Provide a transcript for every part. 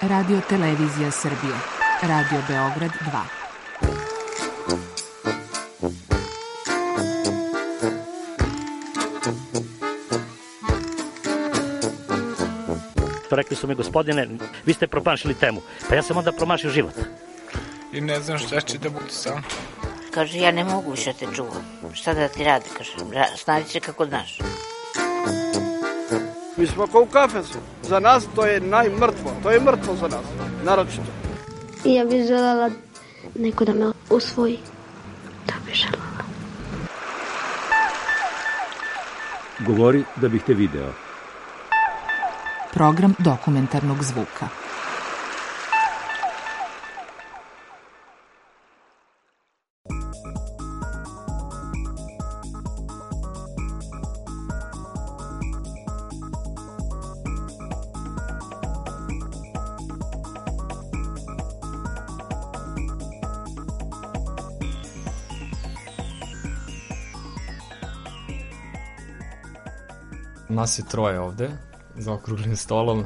Radio Televizija Srbije. Radio Beograd 2. Rekli su mi, gospodine, vi ste promašili temu. Pa ja sam onda promašio život. I ne znam šta će da bude sam. Kaže, ja ne mogu više te čuvam. Šta da ti radi, kaže, snađi se kako znaš. Mi smo kao u kafesu. Za nas to je najmrtvo. To je mrtvo za nas, naročito. I ja bih želela neko da me usvoji. To bih želela. Govori da bih te video. Program dokumentarnog zvuka. Nas je troje ovde, za okruglim stolom.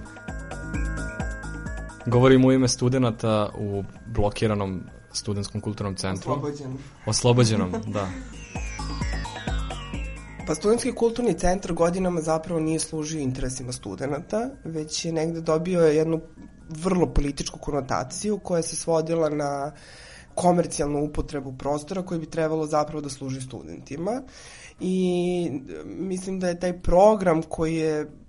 Govorim u ime studenta u blokiranom studentskom kulturnom centru. Oslobođenom, da. Pa studentski kulturni centar godinama zapravo nije služio interesima studenta, već je negde dobio jednu vrlo političku konotaciju koja se svodila na komercijalnu upotrebu prostora koji bi trebalo zapravo da služi studentima. I mislim da je taj program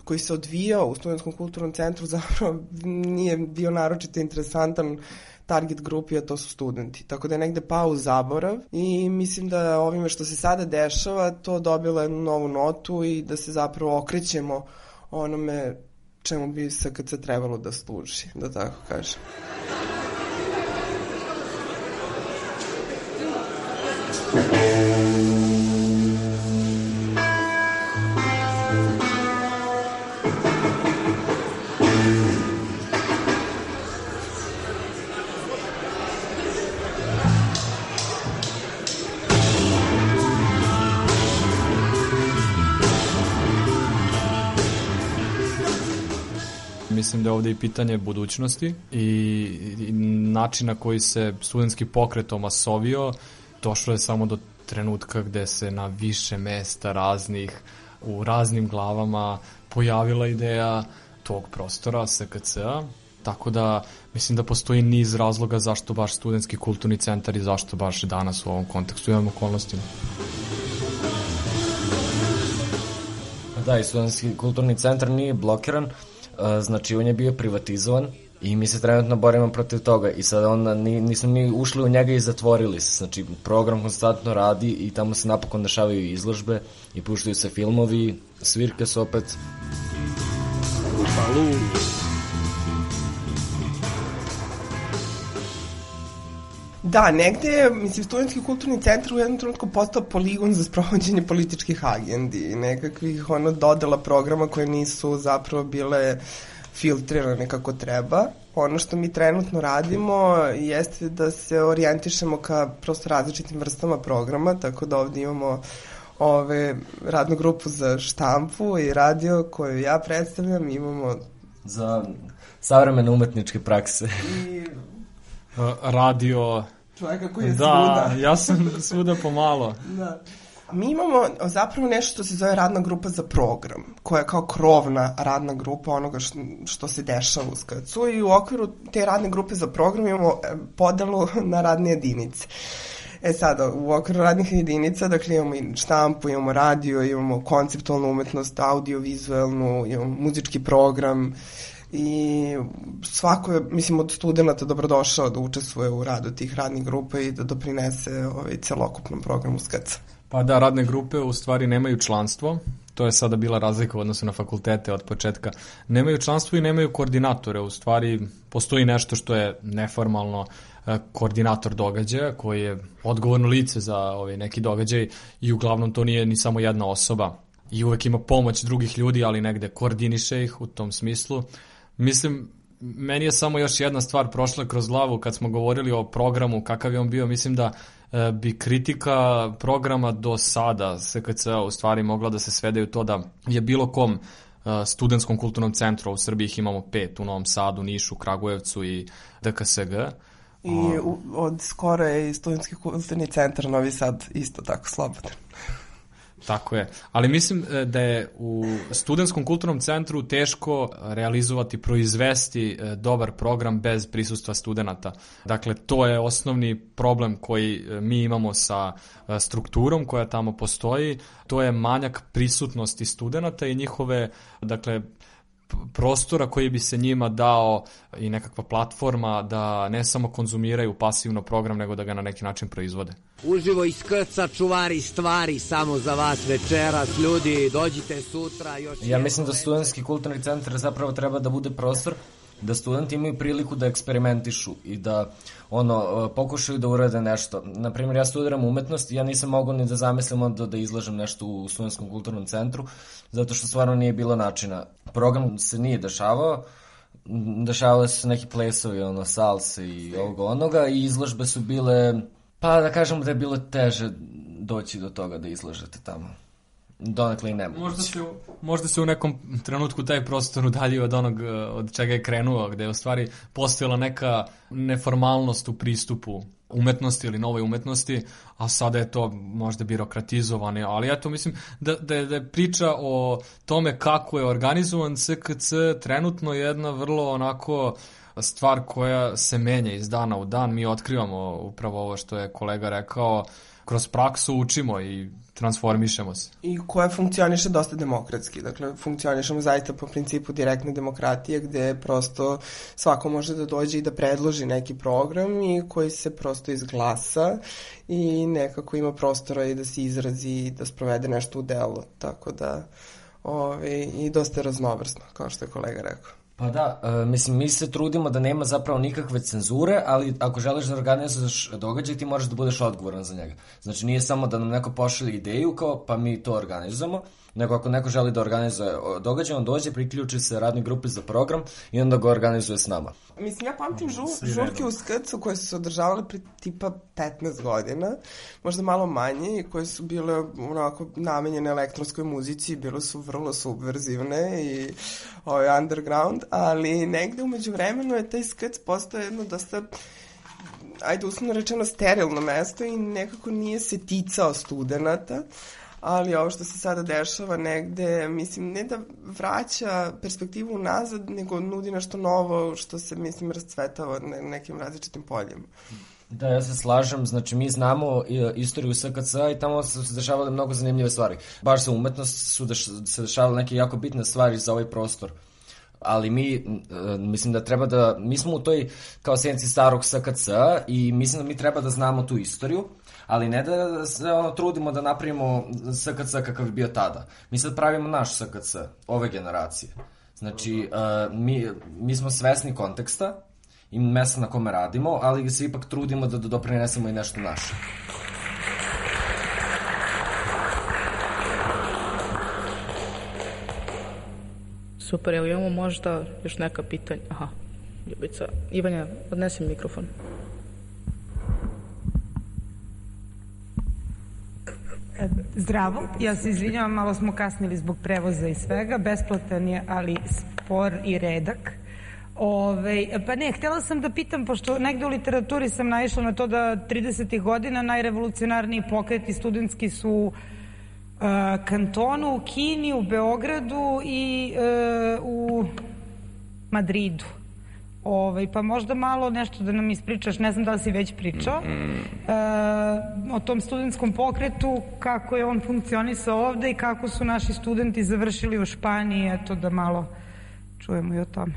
koji se odvijao u Studentskom kulturnom centru zapravo nije bio naročito interesantan target grupi, a to su studenti. Tako da je negde pao u zaborav i mislim da ovime što se sada dešava to dobilo jednu novu notu i da se zapravo okrećemo onome čemu bi SKC trebalo da služi, da tako kažem. Mislim da je ovde i pitanje budućnosti i način na koji se studentski pokret omasovio. Došlo je samo do trenutka gde se na više mesta raznih, u raznim glavama pojavila ideja tog prostora SKC-a. Tako da mislim da postoji niz razloga zašto baš studentski kulturni centar i zašto baš danas u ovom kontekstu imamo okolnostima. Da, i studentski kulturni centar nije blokiran, znači on je bio privatizovan i mi se trenutno borimo protiv toga i sada onda nismo mi ušli u njega i zatvorili se, znači program konstantno radi i tamo se napokon dešavaju izložbe i puštaju se filmovi, svirke su opet. Da, negde, mislim, studentski kulturni centar u jednom trenutku postao poligon za sprovođenje političkih agendi i nekakvih dodela programa koje nisu zapravo bile filtrirane kako treba. Ono što mi trenutno radimo jeste da se orijentišemo ka prosto različitim vrstama programa, tako da ovde imamo radnu grupu za štampu i radio koju ja predstavljam, imamo za savremene umetničke prakse. I radio. Čovjeka koji je svuda. Da, ja sam svuda pomalo. Da. Mi imamo zapravo nešto što se zove radna grupa za program, koja je kao krovna radna grupa onoga što se dešava u SKC-u i u okviru te radne grupe za program imamo podelu na radne jedinice. Sada, u okviru radnih jedinica, dakle imamo i štampu, imamo radio, imamo konceptualnu umetnost, audio-vizualnu, imamo muzički program i svako je, mislim, od studenta dobrodošao da učestvuje u radu tih radnih grupa i da doprinese celokupnom programu SKC. Pa da, radne grupe u stvari nemaju članstvo, to je sada bila razlika u odnosu na fakultete od početka. Nemaju članstvo i nemaju koordinatore, u stvari postoji nešto što je neformalno koordinator događaja koji je odgovorno lice za neki događaj i uglavnom to nije ni samo jedna osoba i uvek ima pomoć drugih ljudi, ali negde koordiniše ih u tom smislu. Mislim, meni je samo još jedna stvar prošla kroz glavu kad smo govorili o programu, kakav je on bio. Mislim da bi kritika programa do sada SKC-a u stvari mogla da se svede u to da je bilo kom studentskom kulturnom centru. U Srbiji ih imamo 5, u Novom Sadu, Nišu, Kragujevcu i DKSG. I od skoro je i Studentski kulturni centar Novi Sad isto tako slobodan. Tako je, ali mislim da je u studentskom kulturnom centru teško realizovati, proizvesti dobar program bez prisustva studenata. Dakle, to je osnovni problem koji mi imamo sa strukturom koja tamo postoji. To je manjak prisutnosti studenata i njihove, dakle, prostora koji bi se njima dao i nekakva platforma da ne samo konzumiraju pasivno program, nego da ga na neki način proizvode. Uživo iskrca, čuvari stvari, samo za vas večeras, ljudi, dođite sutra. Ja mislim da studentski kulturni centar zapravo treba da bude prostor da studenti imaju priliku da eksperimentišu i da pokušaju da urade nešto. Naprimjer, ja studiram umetnost i ja nisam mogao ni da zamislim da izlažem nešto u Studentskom kulturnom centru, zato što stvarno nije bilo načina. Program se nije dešavao, dešavale su se neki plesovi, salse i onoga i izložbe su bile, pa da kažemo da je bilo teže doći do toga da izlažete tamo. Donekle i nemoguće. Možda se u nekom trenutku taj prostor udaljio od onog od čega je krenuo, gde je u stvari postojala neka neformalnost u pristupu umetnosti ili novoj umetnosti, a sada je to možda birokratizovano, ali ja to mislim da je priča o tome kako je organizovan SKC trenutno jedna vrlo onako stvar koja se menja iz dana u dan. Mi otkrivamo upravo ovo što je kolega rekao, kroz praksu učimo i transformišemo se. I koja funkcioniše dosta demokratski. Dakle, funkcionišemo zaista po principu direktne demokratije, gde prosto svako može da dođe i da predloži neki program i koji se prosto izglasa i nekako ima prostora i da se izrazi i da sprovede nešto u delo. Tako da, i dosta je raznovrsno, kao što je kolega rekao. Pa da, mislim, mi se trudimo da nema zapravo nikakve cenzure, ali ako želiš da organizuješ događaj, ti moraš da budeš odgovoran za njega. Znači, nije samo da nam neko pošalje ideju kao pa mi to organizujemo, nego ako neko želi da organizuje događaj, on dođe, priključi se radnoj grupi za program i onda ga organizuje s nama. Mislim, ja pamtim žurke u SKC-u koje su se održavale pri tipa 15 godina, možda malo manje, i koje su bile onako namenjene elektronskoj muzici, bile su vrlo subverzivne i underground, ali negde umeđu vremenu je taj SKC postao jedno dosta, ajde uslovno rečeno, sterilno mesto i nekako nije se ticao studenata. Ali ovo što se sada dešava negde, mislim, ne da vraća perspektivu nazad, nego nudi nešto novo što se, mislim, rascvetava na nekim različitim poljima. Da, ja se slažem, znači mi znamo istoriju SKC-a i tamo su se dešavale mnogo zanimljive stvari. Baš za umetnost su se dešavale neke jako bitne stvari za ovaj prostor. Ali mislim da treba da, mi smo u toj kao senci starog SKC-a i mislim da mi treba da znamo tu istoriju, ali ne da se trudimo da napravimo SKC kakav je bio tada. Mi sad pravimo naš SKC, ove generacije. Znači, mi smo svesni konteksta i mesta na kome radimo, ali se ipak trudimo da doprinesemo i nešto naše. Super, evo imamo možda još neka pitanja. Aha, Ljubica. Ivanja, odnesi mikrofon. Zdravo, ja se izvinjavam, malo smo kasnili zbog prevoza i svega, besplatan je, ali spor i redak. Pa ne, htjela sam da pitam, pošto negde u literaturi sam naišla na to da 30. godina najrevolucionarniji pokreti studentski su u Kantonu, u Kini, u Beogradu i u Madridu. Pa možda malo nešto da nam ispričaš, ne znam da li si već pričao, o tom studentskom pokretu, kako je on funkcionisao ovde i kako su naši studenti završili u Španiji, eto da malo čujemo i o tome.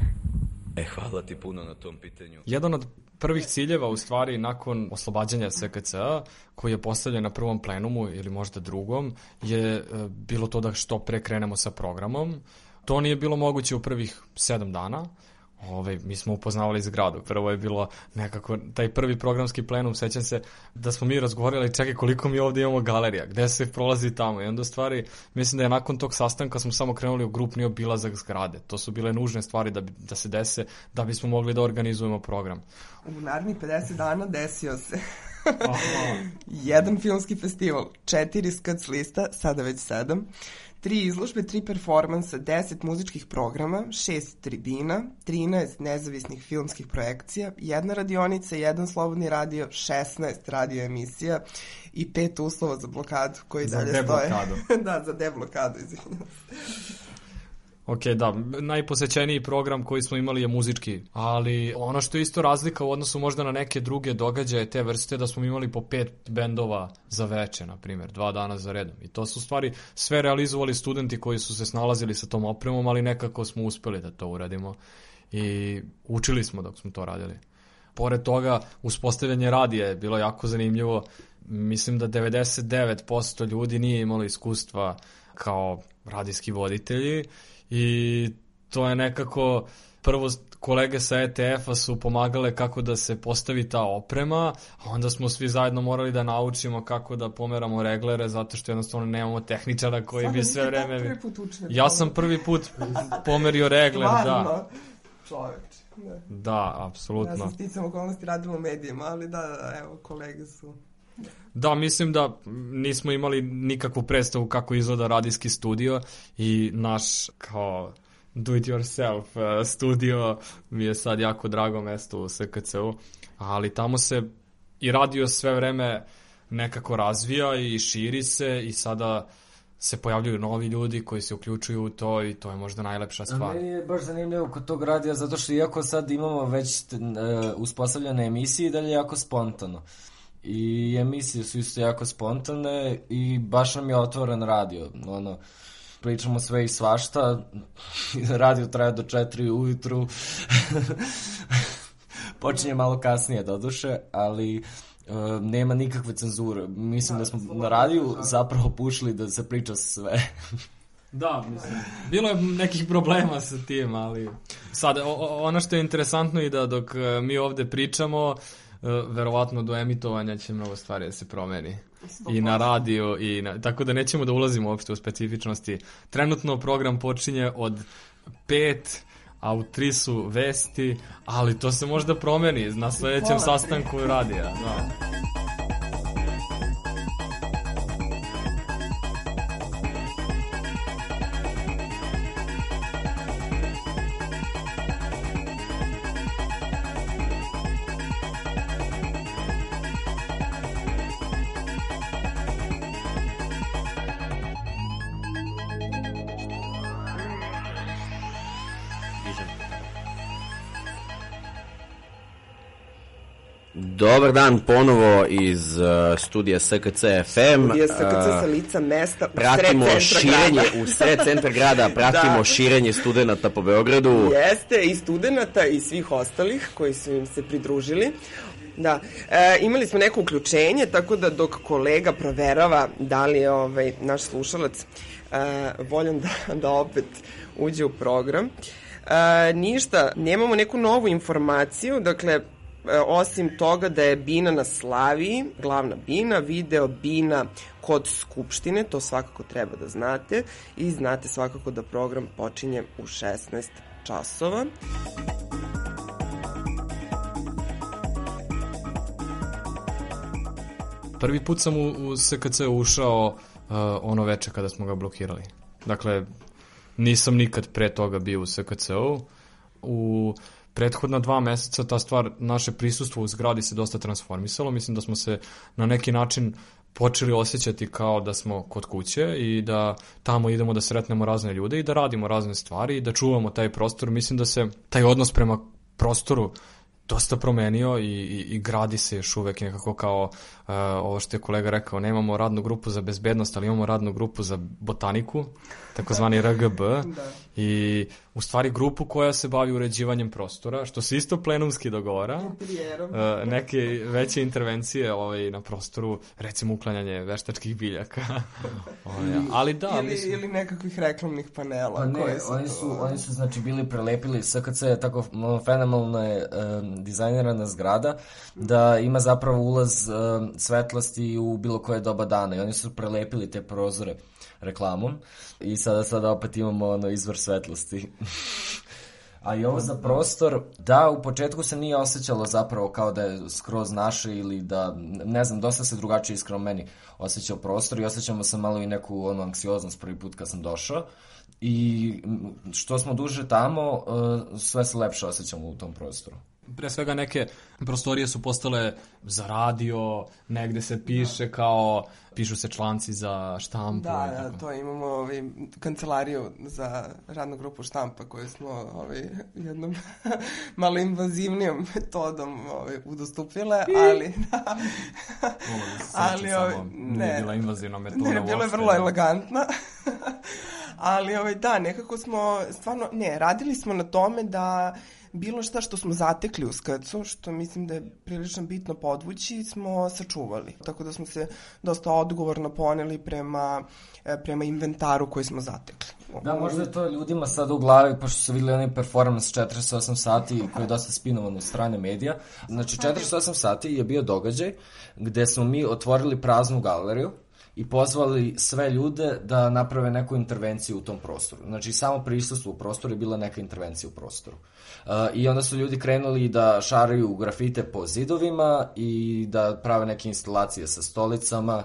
Hvala ti puno na tom pitanju. Jedan od prvih ciljeva, u stvari, nakon oslobađanja SKC-a, koji je postavljen na prvom plenumu ili možda drugom, je bilo to da što pre krenemo sa programom. To nije bilo moguće u prvih 7 dana. Mi smo upoznavali zgradu. Prvo je bilo nekako, taj prvi programski plenum, sećam se da smo mi razgovarali, čekaj koliko mi ovdje imamo galerija, gde se prolazi tamo, i onda stvari, mislim da je nakon tog sastanka smo samo krenuli u grupni obilazak zgrade. To su bile nužne stvari da se dese, da bismo mogli da organizujemo program. U narednih 50 dana desio se jedan filmski festival, 4 SKC lista, sada već 7, 3 izložbe, 3 performansa, 10 muzičkih programa, 6 tribina, 13 nezavisnih filmskih projekcija, 1 radionica, 1 slobodni radio, 16 radio emisija i 5 uslova za blokadu koji dalje stoje. Za deblokadu. Da, za deblokadu, izvinjam. Ok, da, najposećeniji program koji smo imali je muzički, ali ono što je isto razlika u odnosu možda na neke druge događaje te vrste, da smo imali po 5 bendova za veče, na primjer, 2 dana za redom. I to su stvari sve realizovali studenti koji su se snalazili sa tom opremom, ali nekako smo uspeli da to uradimo i učili smo dok smo to radili. Pored toga, uspostavljanje radija je bilo jako zanimljivo. Mislim da 99% ljudi nije imalo iskustva kao radijski voditelji i to je nekako, prvo kolege sa ETF-a su pomagale kako da se postavi ta oprema, a onda smo svi zajedno morali da naučimo kako da pomeramo reglere, zato što jednostavno nemamo tehničara koji bi sve vreme... Ja sam prvi put pomerio regler, da. Čoveč. Da, apsolutno. Ja sam sticam okolnosti radila u medijima, ali da, evo, kolege su... Da, mislim da nismo imali nikakvu predstavu kako izgleda radijski studio i naš kao do it yourself studio mi je sad jako drago mesto u SKC-u, ali tamo se i radio sve vreme nekako razvija i širi se i sada se pojavljuju novi ljudi koji se uključuju u to i to je možda najlepša stvar. Meni je baš zanimljivo kod tog radija zato što iako sad imamo već uspostavljene emisije, dalje jako spontano. I emisije su isto jako spontane i baš nam je otvoren radio. Pričamo sve i svašta, radio traje do 4 ujutru, počinje malo kasnije doduše, ali nema nikakve cenzure. Mislim da smo na radiju zapravo pušili da se priča sve. Da, mislim, bilo je nekih problema sa tim, ali sad, ono što je interesantno i da dok mi ovde pričamo, verovatno do emitovanja će mnogo stvari da se promeni. I na radiju, tako da nećemo da ulazimo uopšte u specifičnosti. Trenutno program počinje od 5, a u 3 su vesti, ali to se možda promeni na sledećem sastanku radija. Da. Dobar dan ponovo iz studija SKC FM. Studija SKC sa lica mesta u sred centra grada. Pratimo širenje studenta po Beogradu. Jeste, i studenta i svih ostalih koji su im se pridružili. Da, imali smo neko uključenje, tako da dok kolega proverava da li je naš slušalac voljan da opet uđe u program. Ništa, nemamo neku novu informaciju, dakle, osim toga da je Bina na Slaviji, glavna Bina, video Bina kod Skupštine, to svakako treba da znate, i znate svakako da program počinje u 16 časova. Prvi put sam u SKC ušao ono veče kada smo ga blokirali. Dakle, nisam nikad pre toga bio u SKC-u. U prethodna 2 meseca ta stvar, naše prisustvo u zgradi se dosta transformisalo. Mislim da smo se na neki način počeli osjećati kao da smo kod kuće i da tamo idemo da sretnemo razne ljude i da radimo razne stvari i da čuvamo taj prostor. Mislim da se taj odnos prema prostoru dosta promenio i gradi se još uvek nekako kao ovo što je kolega rekao, nemamo radnu grupu za bezbednost, ali imamo radnu grupu za botaniku, takozvani RGB, i u stvari grupu koja se bavi uređivanjem prostora, što se isto plenumski dogovara, neke veće intervencije na prostoru, recimo uklanjanje veštačkih biljaka. Ali da, ili nekakvih reklamnih panela. Oni su znači bili prelepili, SKC je tako fenomenalno je dizajnirana zgrada, da ima zapravo ulaz svetlosti u bilo koje doba dana i oni su prelepili te prozore reklamom i sada opet imamo izvor svetlosti. A i ovo za prostor, da, u početku se nije osjećalo zapravo kao da je skroz naše ili da, ne znam, dosta se drugačije iskreno meni osjećao prostor i osjećamo se malo i neku anksioznost prvi put kad sam došao. I što smo duže tamo, sve se lepše osjećamo u tom prostoru. Pre svega neke prostorije su postale za radio, negde se piše kao, pišu se članci za štampu. Da, to imamo kancelariju za radnu grupu štampa koju smo jednom malo invazivnijom metodom udostupile, ali nije bila invazivna metoda. Ne, bila je vrlo elegantna. Ali da, nekako smo stvarno, radili smo na tome da bilo šta što smo zatekli u SKC-u, što mislim da je prilično bitno podvući, smo sačuvali. Tako da smo se dosta odgovorno poneli prema inventaru koji smo zatekli. Da, možda je to ljudima sad u glavi, pošto su vidjeli onaj performance 48 sati koji je dosta spinovan od strane medija. Znači, 48 sati je bio događaj gde smo mi otvorili praznu galeriju i pozvali sve ljude da naprave neku intervenciju u tom prostoru. Znači, samo prisustvo u prostoru je bila neka intervencija u prostoru. I onda su ljudi krenuli da šaraju grafite po zidovima i da prave neke instalacije sa stolicama.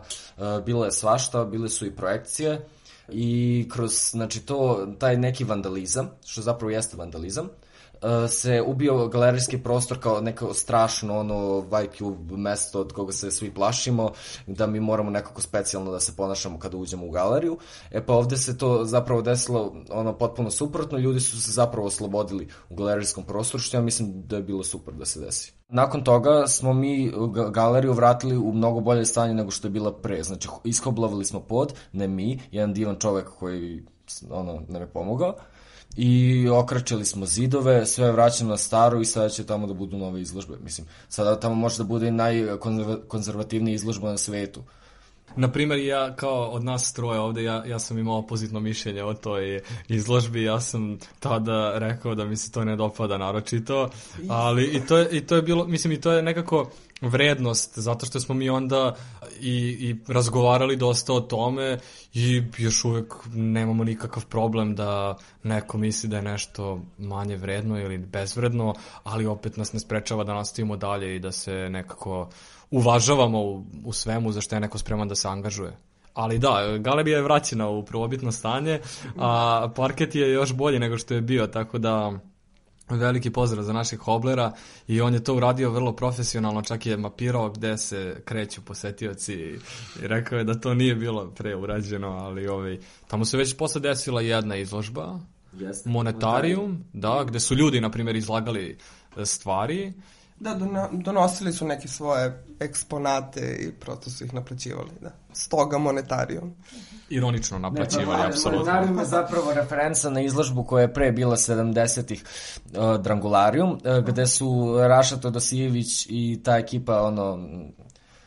Bilo je svašta, bile su i projekcije i kroz, znači, taj neki vandalizam, što zapravo jeste vandalizam, se ubio galerijski prostor kao neko strašno Vibe mesto od koga se svi plašimo, da mi moramo nekako specijalno da se ponašamo kada uđemo u galeriju. Pa ovde se to zapravo desilo potpuno suprotno, ljudi su se zapravo oslobodili u galerijskom prostoru, što ja mislim da je bilo super da se desi. Nakon toga smo mi galeriju vratili u mnogo bolje stanje nego što je bila pre, znači iskoblavili smo pod, ne mi, jedan divan čovek koji nam je pomogao, i okračili smo zidove, sve je vraćeno na staro i sada će tamo da budu nove izložbe. Mislim, sada tamo može da bude i najkonzervativnija izložba na svetu. Naprimer, ja kao od nas troje ovde, ja sam imao opozitno mišljenje o toj izložbi, ja sam tada rekao da mi se to ne dopada naročito, ali i to je bilo, mislim, i to je nekako vrednost, zato što smo mi onda i razgovarali dosta o tome i još uvek nemamo nikakav problem da neko misli da je nešto manje vredno ili bezvredno, ali opet nas ne sprečava da nastavimo dalje i da se nekako uvažavamo u svemu za što je neko spreman da se angažuje. Ali da, galerija je vraćena u prvobitno stanje, a parket je još bolji nego što je bio, tako da veliki pozdrav za naših hoblera i on je to uradio vrlo profesionalno, čak je mapirao gde se kreću posetioci i rekao je da to nije bilo preurađeno, ali tamo se već posle desila jedna izložba, Monetarium, da, gde su ljudi, na primjer, izlagali stvari. Da, donosili su neke svoje eksponate i prosto su ih naplaćivali, da. Stoga Monetarium. Ironično naplaćivali, apsolutno. Monetarium je zapravo referenca na izložbu koja je pre bila 70-ih Drangularium, gde su Raša Todosijević i ta ekipa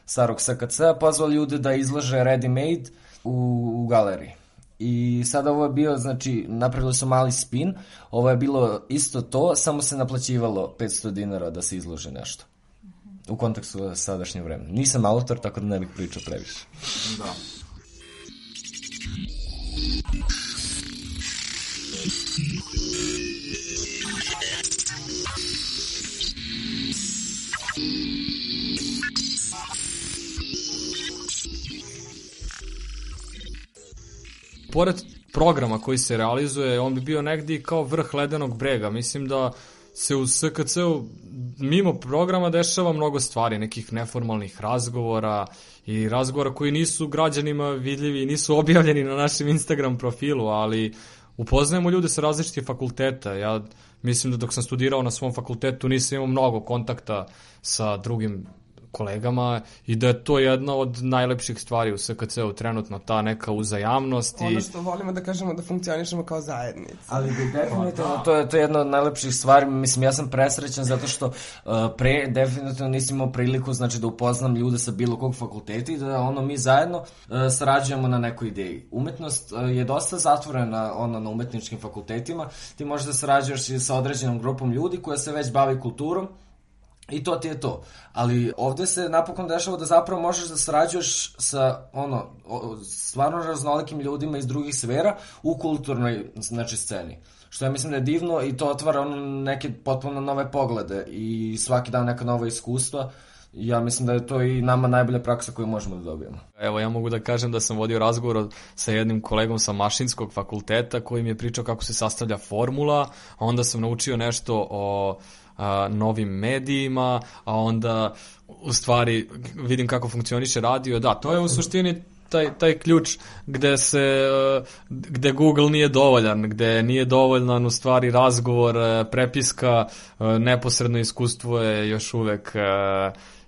starog SKC-a pozvali ljude da izlože ready made u galeriji. I sada ovo je bio, znači, napravili su mali spin, ovo je bilo isto to, samo se naplaćivalo 500 dinara da se izloži nešto. U kontekstu sadašnje vremena. Nisam autor, tako da ne bih pričao previše. Da. Pored programa koji se realizuje, on bi bio negdje kao vrh ledenog brega. Mislim da se u SKC-u mimo programa dešava mnogo stvari, nekih neformalnih razgovora i razgovora koji nisu građanima vidljivi i nisu objavljeni na našem Instagram profilu, ali upoznajemo ljude sa različitih fakulteta. Ja mislim da dok sam studirao na svom fakultetu nisam imao mnogo kontakta sa drugim kolegama i da je to jedna od najlepših stvari u SKC-u trenutno, ta neka uzajamnost. Ono što volimo da kažemo da funkcionišemo kao zajednica. Ali definitivno to je jedna od najlepših stvari, mislim, ja sam presrećan zato što pre definitivno nisam imao priliku, znači, da upoznam ljude sa bilo kog fakulteta i da mi zajedno sarađujemo na nekoj ideji. Umetnost je dosta zatvorena na umetničkim fakultetima, ti možeš da sarađuješ sa određenom grupom ljudi koja se već bavi kulturom I to ti je to. Ali ovde se napokon dešava da zapravo možeš da sarađuješ sa stvarno raznolikim ljudima iz drugih sfera u kulturnoj sceni. Što ja mislim da je divno i to otvara neke potpuno nove poglede i svaki dan neka nova iskustva. Ja mislim da je to i nama najbolja praksa koju možemo da dobijemo. Evo, ja mogu da kažem da sam vodio razgovor sa jednim kolegom sa Mašinskog fakulteta koji mi je pričao kako se sastavlja formula, a onda sam naučio nešto o novim medijima, a onda u stvari vidim kako funkcioniše radio. Da, to je u suštini taj ključ gde Google nije dovoljan, gde nije dovoljan u stvari razgovor, prepiska, neposredno iskustvo je još uvek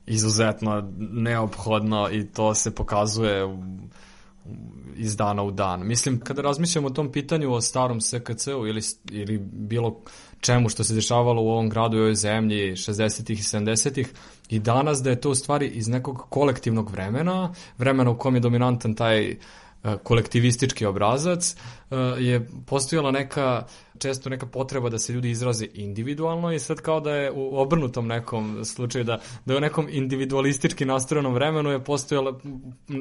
izuzetno neophodno i to se pokazuje iz dana u dan. Mislim, kada razmišljamo o tom pitanju o starom SKC-u ili bilo čemu što se dešavalo u ovom gradu i ovoj zemlji 60-ih i 70-ih i danas da je to u stvari iz nekog kolektivnog vremena u kom je dominantan taj kolektivistički obrazac, je postojala često neka potreba da se ljudi izraze individualno i sad kao da je u obrnutom nekom slučaju, da je u nekom individualistički nastrojenom vremenu je postojala,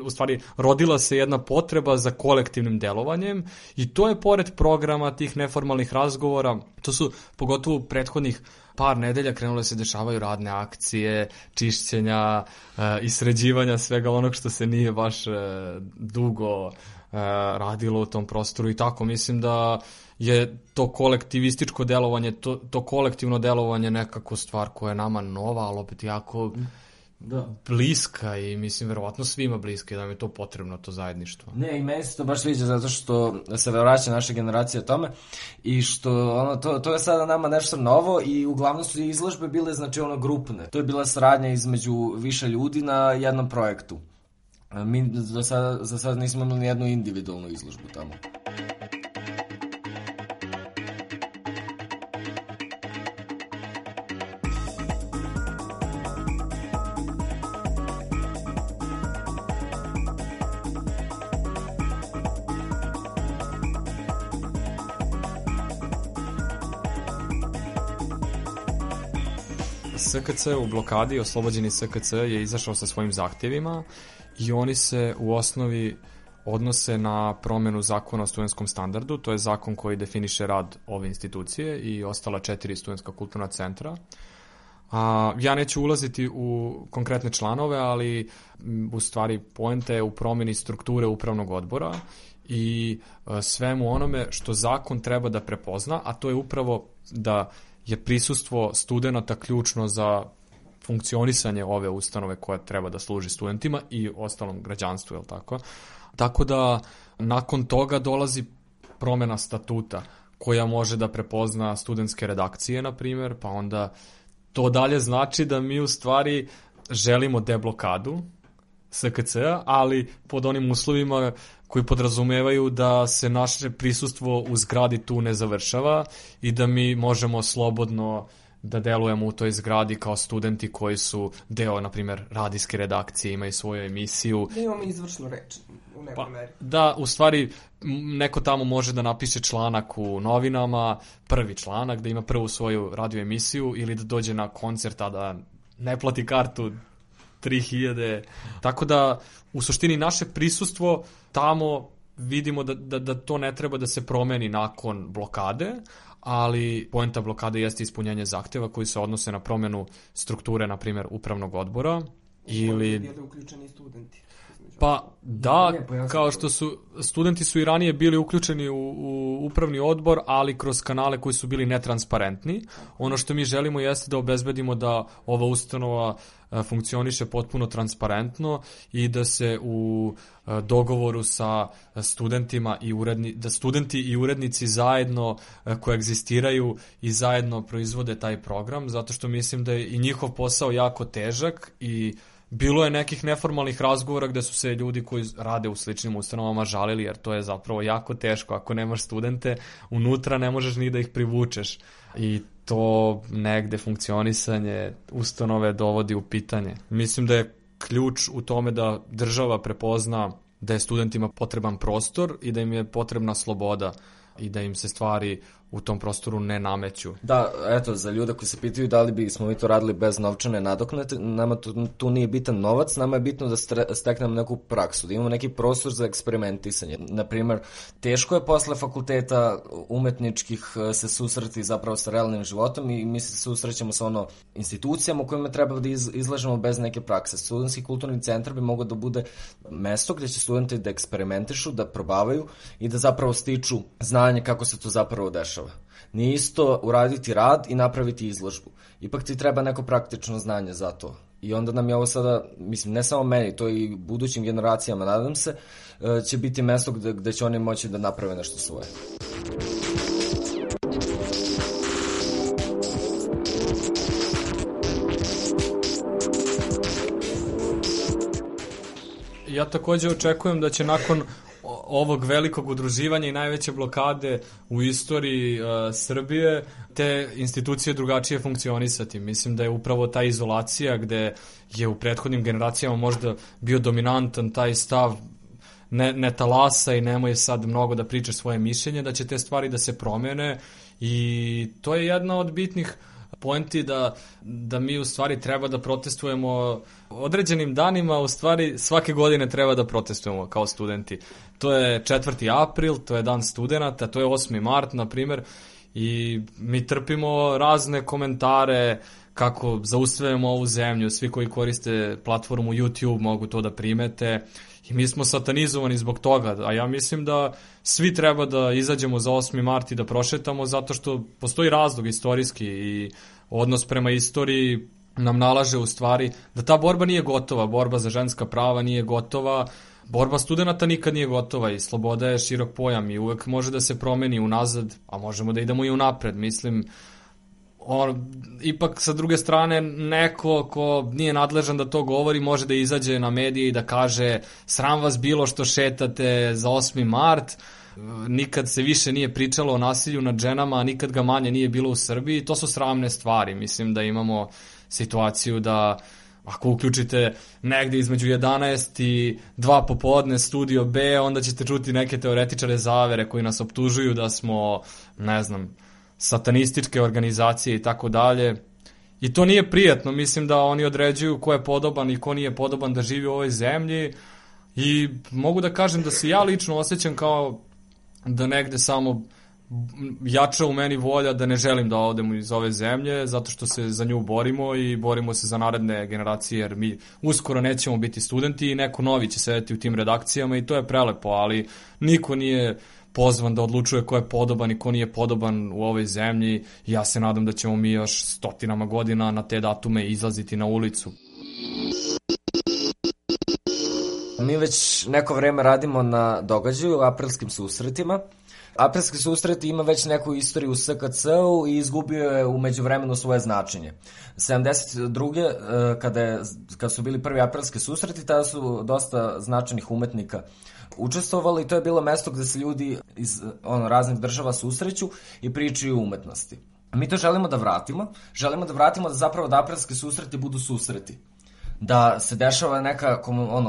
u stvari rodila se jedna potreba za kolektivnim delovanjem i to je pored programa tih neformalnih razgovora, to su pogotovo prethodnih par nedelja krenule se dešavaju radne akcije, čišćenja, isređivanja svega onog što se nije baš dugo radilo u tom prostoru i tako. Mislim da je to kolektivističko delovanje, to kolektivno delovanje nekako stvar koja je nama nova, ali opet jako bliska i mislim verovatno svima bliska i da nam je to potrebno, to zajedništvo. Ne, i meni se to baš sviđa zato što se vraća naša generacija tome i što to je sada nama nešto novo i uglavnom su izložbe bile grupne. To je bila saradnja između više ljudi na jednom projektu. Mi za sada nismo imali ni jednu individualnu izložbu tamo. SKC u blokadi, oslobođeni SKC je izašao sa svojim zahtjevima i oni se u osnovi odnose na promjenu zakona o studentskom standardu, to je zakon koji definiše rad ove institucije i ostala 4 studentska kulturna centra. Ja neću ulaziti u konkretne članove, ali u stvari poenta je u promjeni strukture upravnog odbora i svemu onome što zakon treba da prepozna, a to je upravo da je prisustvo studenata ključno za funkcionisanje ove ustanove koja treba da služi studentima i ostalom građanstvu, je li tako? Tako da nakon toga dolazi promjena statuta koja može da prepozna studentske redakcije, na primjer, pa onda to dalje znači da mi u stvari želimo deblokadu SKC-a, ali pod onim uslovima koji podrazumevaju da se naše prisustvo u zgradi tu ne završava i da mi možemo slobodno da delujemo u toj zgradi kao studenti koji su deo, na primjer, radijske redakcije, imaju svoju emisiju. Da imamo izvršnu reč u nekoj meri. Da, u stvari, neko tamo može da napiše članak u novinama, prvi članak, da ima prvu svoju radio emisiju ili da dođe na koncert, a da ne plati kartu 3000. Tako da, u suštini, naše prisustvo tamo vidimo da to ne treba da se promeni nakon blokade, ali poenta blokade jeste ispunjanje zahtjeva koji se odnose na promjenu strukture, na primjer, upravnog odbora. Ili bili uključeni studenti. Pa da, kao što su studenti su i ranije bili uključeni u upravni odbor, ali kroz kanale koji su bili netransparentni. Ono što mi želimo jeste da obezbedimo da ova ustanova funkcioniše potpuno transparentno i da se u dogovoru sa studentima da studenti i urednici zajedno koegzistiraju i zajedno proizvode taj program, zato što mislim da je i njihov posao jako težak i bilo je nekih neformalnih razgovora gde su se ljudi koji rade u sličnim ustanovama žalili, jer to je zapravo jako teško. Ako nemaš studente, unutra ne možeš ni da ih privučeš. I to negde funkcionisanje ustanove dovodi u pitanje. Mislim da je ključ u tome da država prepozna da je studentima potreban prostor i da im je potrebna sloboda i da im se stvari u tom prostoru ne nameću. Da, eto, za ljude koji se pitaju da li bismo mi to radili bez novčane nadoknade, nama tu nije bitan novac, nama je bitno da steknemo neku praksu, da imamo neki prostor za eksperimentisanje. Naprimer, teško je posle fakulteta umetničkih se susreti zapravo sa realnim životom i mi se susrećemo sa institucijama u kojima treba da izlažemo bez neke prakse. Studentski kulturni centar bi mogao da bude mesto gde će studenti da eksperimentišu, da probavaju i da zapravo stiču znanje kako se to zapravo dešava. Nije isto uraditi rad i napraviti izložbu. Ipak ti treba neko praktično znanje za to. I onda nam je ovo sada, mislim, ne samo meni, to i budućim generacijama, nadam se, će biti mesto gde će oni moći da naprave nešto svoje. Ja takođe očekujem da će nakon ovog velikog udruživanja i najveće blokade u istoriji Srbije te institucije drugačije funkcionisati. Mislim da je upravo ta izolacija gde je u prethodnim generacijama možda bio dominantan taj stav ne talasa i nemoj sad mnogo da pričaš svoje mišljenje, da će te stvari da se promene i to je jedna od bitnih poenti da mi u stvari treba da protestujemo određenim danima, u stvari svake godine treba da protestujemo kao studenti. To je 4. april, to je dan studenata, to je 8. mart, na primjer, i mi trpimo razne komentare kako zaustavljamo ovu zemlju, svi koji koriste platformu YouTube mogu to da primete i mi smo satanizovani zbog toga, a ja mislim da svi treba da izađemo za 8. mart i da prošetamo zato što postoji razlog istorijski i odnos prema istoriji nam nalaže u stvari da ta borba nije gotova, borba za ženska prava nije gotova, borba studenta nikad nije gotova i sloboda je širok pojam i uvek može da se promeni unazad, a možemo da idemo i unapred, mislim. Ipak sa druge strane neko ko nije nadležan da to govori može da izađe na medije i da kaže sram vas bilo što šetate za 8. mart, nikad se više nije pričalo o nasilju nad ženama, a nikad ga manje nije bilo u Srbiji. To su sramne stvari. Mislim da imamo situaciju da ako uključite negde između 11 i 2 popodne Studio B, onda ćete čuti neke teoretičare zavere koji nas optužuju da smo, ne znam, satanističke organizacije i tako dalje. I to nije prijatno, mislim da oni određuju ko je podoban i ko nije podoban da živi u ovoj zemlji i mogu da kažem da se ja lično osjećam kao da negde samo jača u meni volja da ne želim da odem iz ove zemlje zato što se za nju borimo i borimo se za naredne generacije jer mi uskoro nećemo biti studenti i neko novi će sedeti u tim redakcijama i to je prelepo, ali niko nije pozvan da odlučuje ko je podoban i ko nije podoban u ovoj zemlji. Ja se nadam da ćemo mi još stotinama godina na te datume izlaziti na ulicu. Mi već neko vreme radimo na događaju, aprilskim susretima. Aprilski susret ima već neku istoriju u SKC-u i izgubio je u međuvremenu svoje značenje. 72. Kada su bili prvi aprilski susreti, tada su dosta značajnih umetnika učestvovali i to je bilo mesto gde se ljudi iz raznih država susreću i pričaju o umetnosti. Mi to želimo da vratimo. Želimo da vratimo da zapravo da aprilski susreti budu susreti. Da se dešava neka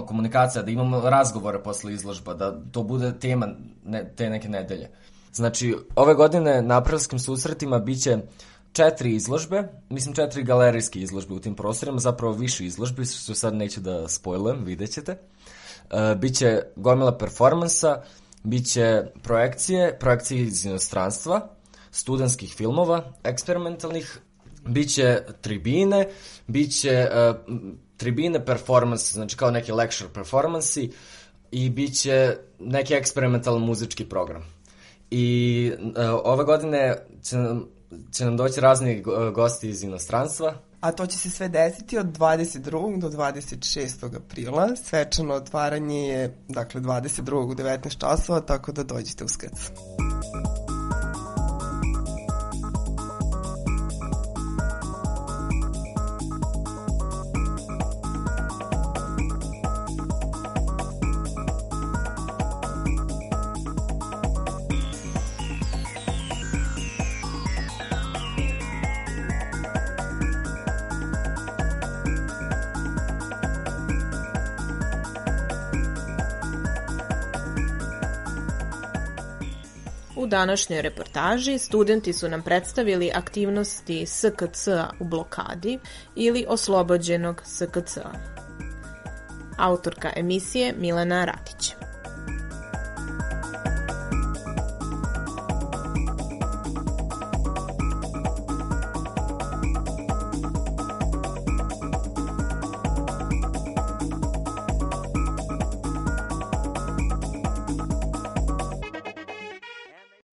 komunikacija, da imamo razgovore posle izložba, da to bude tema te neke nedelje. Znači, ove godine na aprilskim susretima biće 4 izložbe, mislim 4 galerijske izložbe u tim prostorima, zapravo više izložbi, što sad neću da spojlujem, vidjet ćete. Biće gomila performansa, biće projekcije iz inostranstva, studentskih filmova, eksperimentalnih, biće tribine, biće tribine performance, znači kao neki lecture performansi i biće neki eksperimentalan muzički program. I ove godine će nam doći razni gosti iz inostranstva. A to će se sve desiti od 22. do 26. aprila. Svečano otvaranje je, dakle, 22. u 19 časova, tako da dođite u SKC. U U današnjoj reportaži studenti su nam predstavili aktivnosti SKC-a u blokadi ili oslobođenog SKC-a. Autorka emisije Milena Ratić.